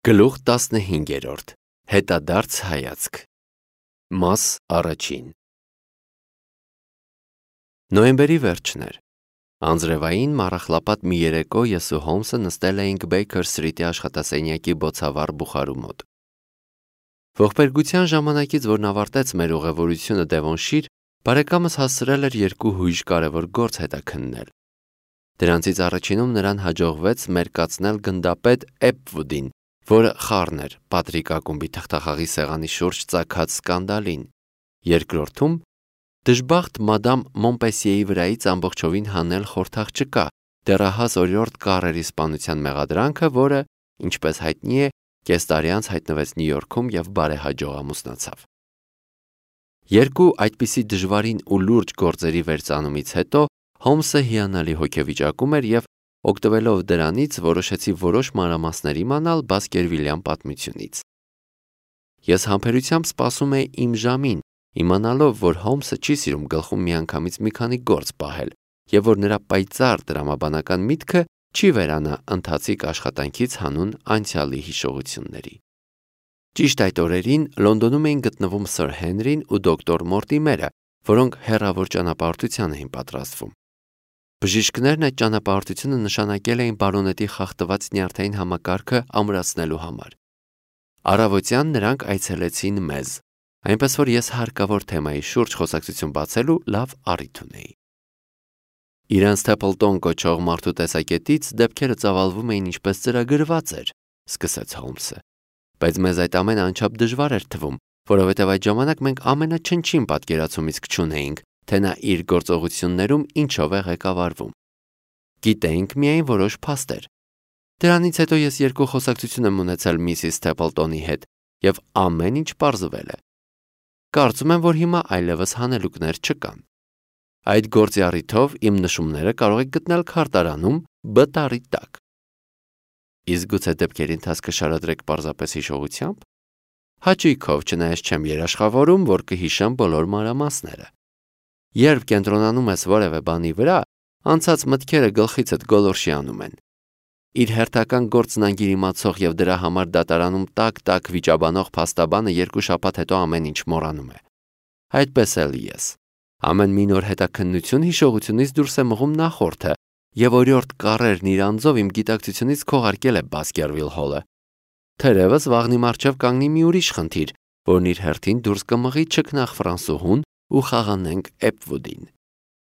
Գլուխ 15. Հետադարձ հայացք։ Մաս առաջին։ Նոյեմբերի վերջն էր։ Անձրևային մառախլապատ մի երեկո ես ու Հոլմսը նստել էինք Բեյքեր Սթրիթի աշխատասենյակի բոցավառ բուխարու մոտ։ Ողբերգության ժամանակից, որն ավարտեց մեր ուղևորությունը Դևոնշիր, բարեկամս հասցրել էր երկու հույժ կարևոր գործ հետաքննել։ Դրանցից առաջինում նրան հաջողվեց մերկացնել գնդապետ Էփվուդին, որը խառն էր Պատրիկ ակումբի թղթախաղի սեղանի շուրջ ծագած սկանդալին։ Երկրորդում դժբախտ մադամ Մոնպեսիեի վրայից ամբողջովին հանել խորթաղճկա, դեռահաս օրիորդ Կարրերի սպանության մեղադրանքը, որը, ինչպես հայտնի է, կես տարի անց հայտնվեց Նյու Յորքում և բարեհաջող ամուսնացավ։ Երկու այդպիսի դժվարին ու լուրջ գործերի վերծանումից հետո Հոլմսը հիանալի հոգեվիճակում էր և օգտվելով դրանից որոշեցի որոշ մանրամասներ իմանալ Բասկերվիլյան պատմությունից։ Ես համբերությամբ սպասում էի իմ ժամին, իմանալով, որ Հոլմսը չի սիրում գլխում միանգամից մի քանի գործ պահել և որ նրա պայծառ տրամաբանական միտքը չի վերանա ընթացիկ աշխատանքից հանուն անցյալի հիշողությունների։ Ճիշտ այդ օրերին Լոնդոնում էին գտնվում Սըր Հենրին ու դոկտոր Մորտիմերը, որոնք հեռավոր ճանապարհորդության էին պատրաստվում։ Բժիշկներն այդ ճանապարհորդությունը նշանակել էին բարոնետի խախտված նյարդային համակարգը ամրացնելու համար։ Առավոտյան նրանք այցելեցին մեզ, այնպես որ ես հարկավոր թեմայի շուրջ խոսակցություն բացելու լավ առիթ ունեի։ Իրենց Թեփլտոն կոչող մարդու տեսակետից դեպքերը ծավալվում էին ինչպես ծրագրված էր, սկսեց Հոլմսը, բայց մեզ այդ ամենը անչափ դժվար էր թվում, որովհետև այդ ժամանակ մենք ամենաչնչին պատկերացումից կչունեինք, թե նա իր գործողություններում ինչով է ղեկավարվում։ Գիտեինք միայն որոշ փաստեր։ Դրանից հետո ես երկու խոսակցություն եմ ունեցել միսիս Թեփլտոնի հետ և ամեն ինչ պարզվել է։ Կարծում եմ, որ հիմա այլևս հանելուկներ չկան։ Այդ գործի առիթով իմ նշումները կարող եք գտնել քարտարանում B տարի տակ։ Իսկ գուցե դեպքերի ընթացքը շարադրեք պարզապես հիշողությամբ։ Հաճույքով, չնայած չեմ երաշխավորում, որ կհիշեմ բոլոր մանրամասները։ Երբ կենտրոնանում ես որևէ բանի վրա, անցած մտքերը գլխիցդ գոլորշի անում են։ Իր հերթական գործն անգիր իմացող և դրա համար դատարանում տակ-տակ վիճաբանող փաստաբանը 2 շաբաթ հետո ամեն ինչ մոռանում է։ Այդպես էլ ես։ Ամեն մի նոր հետաքննություն հիշողությունից դուրս է մղում նախորդը, և օրիորդ Կարրերն իր անձով իմ գիտակցությունից քողարկել է Բասկերվիլ հոլը։ Թերևս վաղնի մառչև կանգնի մի ուրիշ խնդիր, որն իր հերթին դուրս կմղի չքնաղ Ֆրանսուհուն ու խաղանենք Էփվուդին։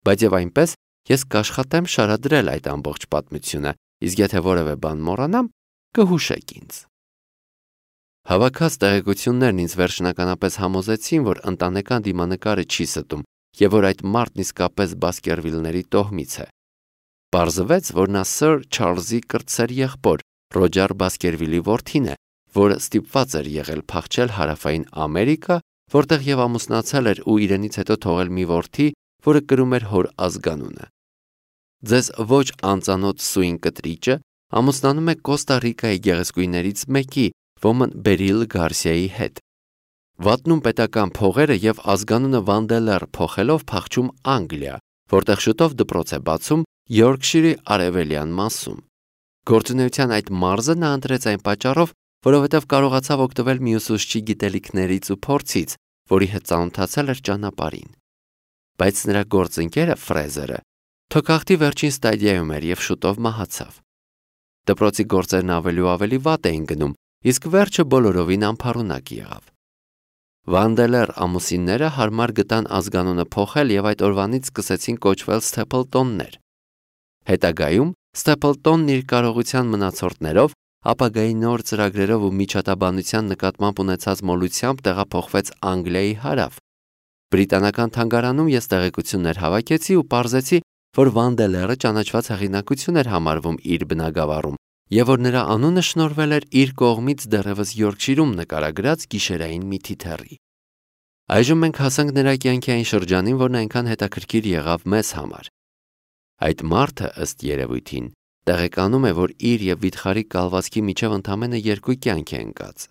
Բայց եւ այնպես ես կաշխատեմ շարադրել այդ ամբողջ պատմությունը, իսկ եթե որևէ բան մոռանամ, կհուշեք ինձ։ Հավաքած տեղեկություններն ինձ վերջնականապես համոզեցին, որ ընտանեկան դիմանկարը չի ստում եւ որ այդ մարդն իսկապես Բասկերվիլների տոհմից է։ Պարզվեց, որ նա Սըր Չարլզի կրտսեր եղբոր Ռոջեր Բասկերվիլի որդին է, որը ստիպված էր եղել փախչել Հարավային Ամերիկա, որտեղ եւ ամուսնացել էր ու իրենից հետո թողել մի որդի, որը կրում էր հոր ազգանունը։ Ձեզ ոչ անծանոթ Սուին կտրիճը ամուսնանում է Կոստա Ռիկայի գեղեցկուհիներից մեկի, ոմն Բերիլ Գարսիայի հետ։ Վատնում պետական փողերը եւ ազգանունը Վանդելեր փոխելով փախչում Անգլիա, որտեղ շուտով դպրոց է բացում Յորքշիրի արևելյան մասում։ Գործունեության այդ մարզը նա ընտրեց այն պատճառով, որովհետև կարողացավ օգտվել մյուս ուսուցչի գիտելիքներից ու փորձից, որի հետ ծանոթացել էր ճանապարհին։ Բայց նրա գործընկերը Ֆրեզերը թոքախտի վերջին ստադիայում էր և շուտով մահացավ։ Դպրոցի գործերն ավելի ու ավելի վատ էին գնում, իսկ վերջը բոլորովին անփառունակ եղավ։ Վանդելեր ամուսինները հարմար գտան ազգանունը փոխել և այդ օրվանից սկսեցին կոչվել Սթեփլտոններ։ Հետագայում Սթեփլտոնն իր կարողության մնացորդներով, ապագայի նոր ծրագրերով ու միջատաբանության նկատմամբ ունեցած մոլությամբ տեղափոխվեց Անգլիայի հարավ։ Բրիտանական թանգարանում ես տեղեկություններ հավաքեցի ու պարզեցի, որ Վանդելերը ճանաչված հեղինակություն էր համարվում իր բնագավառում և որ նրա անունը շնորհվել էր իր կողմից դեռևս Յորքշիրում նկարագրած գիշերային մի թիթեռի։ Այժմ մենք հասանք նրա կյանքի այն շրջանին, որն այնքան հետաքրքիր եղավ մեզ համար։ Այդ մարդը, ըստ երևույթին, տեղեկանում է, որ իր և վիթխարի կալվածքի միջև ընդամենը 2 կյանք է ընկած։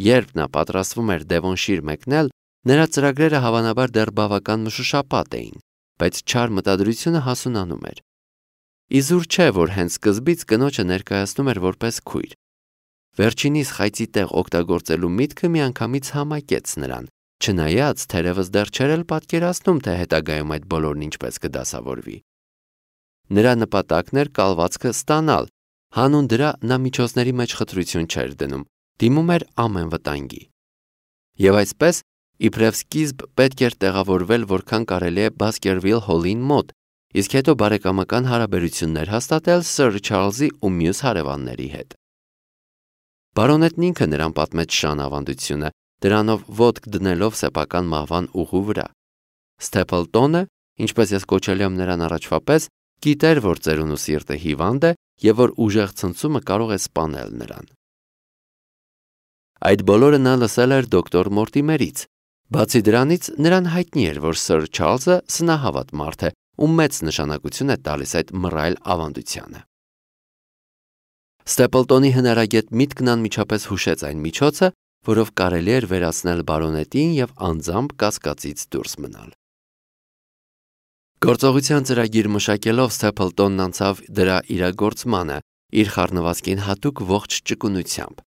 Երբ նա պատրաստվում էր Դևոնշիր մեկնել, նրա ծրագրերը հավանաբար դեռ բավական մշուշապատ էին, բայց չար մտադրությունը հասունանում էր։ Իզուր չէ, որ հենց սկզբից կնոջը ներկայացնում էր որպես քույր։ վերջինիս խայծի տեղ օգտագործելու միտքը միանգամից համակեց նրան, չնայած թերևս դեռ չէր էլ պատկերացնում, թե հետագայում այդ բոլորն ինչպես կդասավորվի։ Նրա նպատակն էր կալվածքը ստանալ, հանուն դրա նա միջոցների մեջ խտրություն չէր դնում, դիմում էր ամեն վտանգի։ Եվ այսպես, իբրև սկիզբ պետք էր տեղավորվել որքան կարելի է Բասկերվիլ Հոլին մոտ, իսկ հետո բարեկամական հարաբերություններ հաստատել Սըր Չարլզի ու մյուս հարևանների հետ։ Բարոնետն ինքը նրան պատմեց շան ավանդությունը, դրանով ոտք դնելով սեփական մահվան ուղու վրա։ Ստեփլտոնը, ինչպես ես կոչել եմ նրան առաջվա պես, գիտեր, որ ծերունու սիրտը հիվանդ է եւ որ ուժեղ ցնցումը կարող է սպանել նրան։ Այդ բոլորը նա լսել էր դոկտոր Մորտիմերից։ Բացի դրանից, նրան հայտնի էր, որ Սըր Չարլզը սնահավատ մարդ է ու մեծ նշանակություն է տալիս այդ մռայլ ավանդությանը։ Ստեփլտոնի հնարագետ միտքն անմիջապես հուշեց այն միջոցը, որով կարելի էր վերացնել բարոնետին եւ անձամբ կասկածից դուրս մնալ։ Գործողության ծրագիր մշակելով Ստեփլտոնն անցավ դրա իրագործմանը, իր խառնվածքին հատուկ ողջ ճկունությամբ։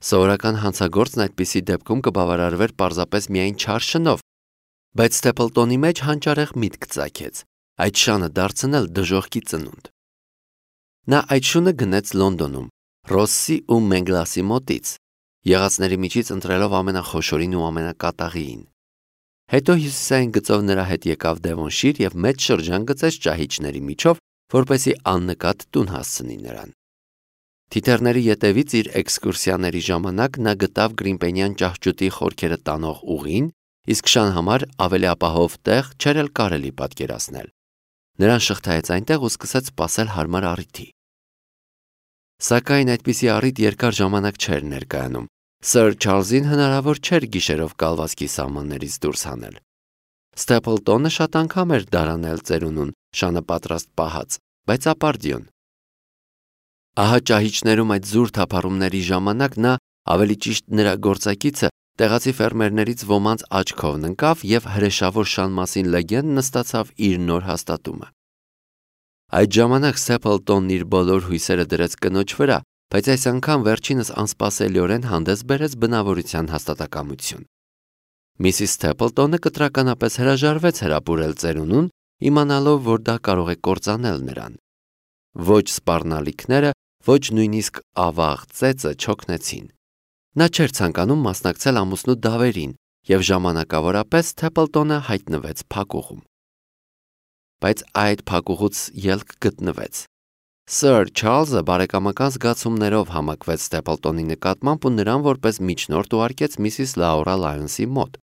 Սովորական հանցագործն այդպիսի դեպքում կբավարարվեր պարզապես միայն չար շնով, բայց Ստեփլտոնի մեջ հանճարեղ միտք ծագեց, այդ շանը դարձնել դժոխքի ծնունդ։ Նա այդ շունը գնեց Լոնդոնում, Ռոսսի ու Մենգլասի մոտից, եղածների միջից ընտրելով ամենախոշորին ու ամենակատաղիին։ Հետո հյուսիսային գծով նրա հետ եկավ Դևոնշիր եւ մեծ շրջան գծեց ճահիճների միջով, որպեսզի աննկատ տուն հասցնի նրան։ Թիթեռների ետևից իր էքսկուրսիաների ժամանակ նա գտավ Գրիմպենյան ճահճուտի խորքերը տանող ուղին, իսկ շան համար ավելի ապահով տեղ չէր էլ կարելի պատկերացնել։ Նրան շղթայեց այնտեղ ու սկսեց սպասել հարմար առիթի։ Սակայն այդպիսի առիթ երկար ժամանակ չէր ներկայանում։ Սըր Չարլզին հնարավոր չէր գիշերով կալվածքի սահմաններից դուրս հանել։ Ստեփլտոնը շատ անգամ էր դարանել ծերունուն, շանը պատրաստ պահած, բայց ապարդյուն։ Ահա ճահիճներում այդ զուր թափառումների ժամանակ նա, ավելի ճիշտ նրա գործակիցը, տեղացի ֆերմերներից ոմանց աչքով ընկավ եւ հրեշավոր շան մասին լեգենդ նստացավ իր նոր հաստատումը։ Այդ ժամանակ Ստեփլտոնն իր բոլոր հույսերը դրեց կնոջ վրա, բայց այս անգամ վերջինս անսպասելիորեն հանդես բերեց բնավորության հաստատակամություն։ Միսիս Ստեփլտոնը կտրականապես հրաժարվեց հրապուրել ծերունուն, իմանալով, որ դա կարող է կործանել նրան։ Ոչ սպառնալիքները, ոչ նույնիսկ ավաղ ծեծը չօգնեցին։ Նա չէր ցանկանում մասնակցել ամուսնու դավերին եւ ժամանակավորապես Ստեփլտոնը հայտնվեց փակուղում։ Բայց այդ փակուղուց ելք գտնվեց։ Սըր Չարլզը բարեկամական զգացումներով համակվեց Ստեփլտոնի նկատմամբ ու նրան որպես միջնորդ ուղարկեց միսիս Լաուրա Լայոնսի մոտ։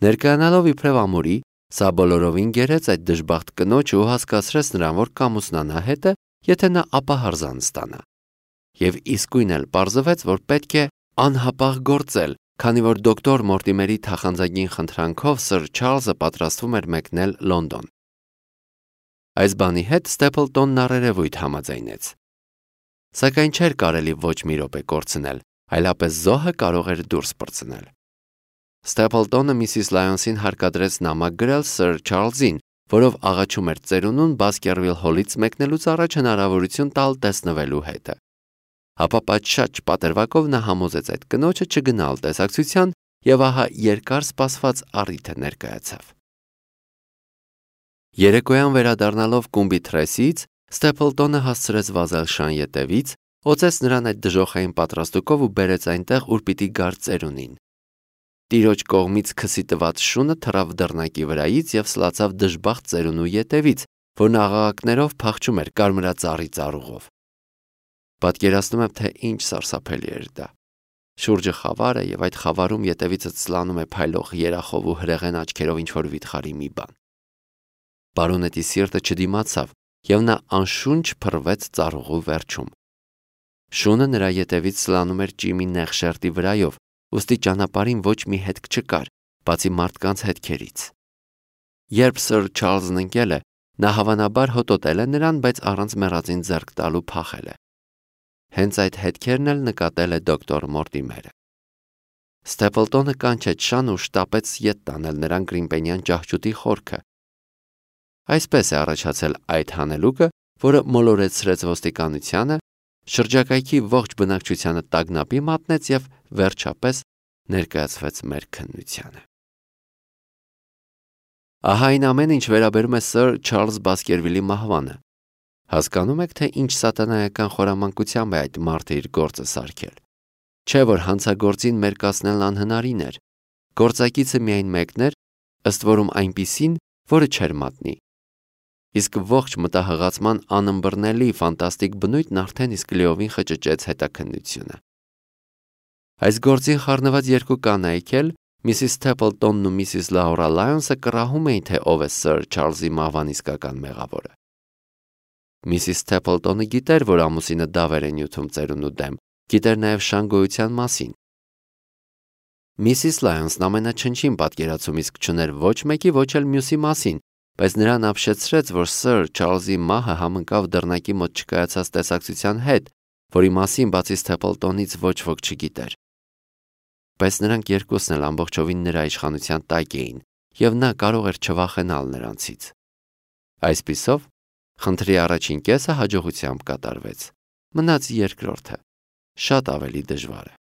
Ներկայանալով իբրև ամուրի, սա բոլորովին գերեց այդ դժբախտ կնոջը ու հասկացրեց նրան, որ կամուսնանա հետը, եթե նա ապահարզան ստանա։ Եվ իսկույն էլ պարզվեց, որ պետք է անհապաղ գործել, քանի որ դոկտոր Մորտիմերի թախանձագին խնդրանքով Սըր Չարլզը պատրաստվում էր մեկնել Լոնդոն։ Այս բանի հետ Ստեփլտոնն առերևույթ համաձայնեց։ Սակայն չէր կարելի ոչ մի րոպե կորցնել, այլապես զոհը կարող էր դուրս պրծնել։ Ստեփլտոնը միսիս Լայոնսին հարկադրեց նամակ գրել Սըր Չարլզին, որով աղաչում էր ծերունուն Բասկերվիլ Հոլից մեկնելուց առաջ հնարավորություն տալ տեսնվելու հետը։ Հապա պատշաճ պատրվակով նա համոզեց այդ կնոջը չգնալ տեսակցության եւ ահա երկար սպասված առիթը ներկայացավ։ Երեկոյան վերադառնալով կումբի թրեսից, Ստեփլտոնը հասցրեց վազել շան ետևից, օծեց նրան այդ դժոխային պատրաստուկով ու բերեց այնտեղ, ուր պիտի գար ծերունին։ Տիրոջ կողմից քսի տված շունը թռավ դռնակի վրայից եւ սլացավ դժբախտ ծերունու ետևից, որն աղաղակներով փախչում էր կարմրածառի ծառուղով։ Պատկերացնում եմ, թե ինչ սարսափելի էր դա։ Շուրջը խավար է եւ այդ խավարում ետևիցը ցլանում է փայլող երախով ու հրեղեն աչքերով ինչ-որ վիթխարի մի բան։ Բարոնետի սիրտը չդիմացավ եւ նա անշունչ փռվեց ծառուղու վերջում։ Շունը նրա ետևից սլանում էր ճիմի նեղ շերտի վրայով, ուստի ճանապարհին ոչ մի հետք չկար, բացի մարդկանց հետքերից։ Երբ Սըր Չարլզն ընկել է, նա հավանաբար հոտոտել է նրան, բայց առանց մեռածին ձեռք տալու փախել է։ Հենց այդ հետքերն էլ նկատել է դոկտոր Մորտիմերը։ Ստեփլտոնը կանչեց շան ու շտապեց ետ տանել նրան Գրիմպենյան ճահճուտի խորքը։ Այսպես է առաջացել այդ հանելուկը, որը մոլորեցրեց ոստիկանությանը, շրջակայքի ողջ բնակչությանը տագնապի մատնեց և վերջապես ներկայացվեց մեր քննությանը։ Ահա այն ամենը, ինչ վերաբերում է Սըր Չարլզ Բասկերվիլի մահվանը։ Հասկանում եք, թե ինչ սատանայական խորամանկությամբ է այդ մարդը իր գործը սարքել։ Չէ՞ որ հանցագործին մերկացնելն անհնարին էր։ Գործակիցը միայն մեկն էր, ըստ որում այնպիսին, որը չէր մատնի։ Իսկ ողջ մտահղացման անըմբռնելի ֆանտաստիկ բնույթն արդեն իսկ լիովին խճճեց հետաքննությունը։ Այս գործին խառնված երկու կանայք էլ, Միսիս Սթեփլտոնն ու Միսիս Լաուրա Լայոնսը կռահում էին, թե ով է Սըր Չարլզի մահվան իսկական մեղավորը։ Միսիս Սթեփլտոնը գիտեր, որ ամուսինը դավեր է նյութում ծերունու դեմ, գիտեր նաև շան գոյության մասին։ Միսիս Լայոնսն ամենաչնչին պատկերացում իսկ չուներ ոչ մեկի, ոչ էլ մյուսի մասին, բայց նրան ապշեցրեց, որ Սըր Չարլզի մահը համընկավ դռնակի մոտ չկայացած տեսակցության հետ, որի մասին բացի Սթեփլտոնից ոչ ոք չգիտեր։ Բայց նրանք երկուսն էլ ամբողջովին նրա իշխանության տակ էին, և նա կարող էր չվախենալ նրանցից։ Այսպիսով, խնդրի առաջին կեսը հաջողությամբ կատարվեց, մնաց երկրորդը, շատ ավելի դժվարը։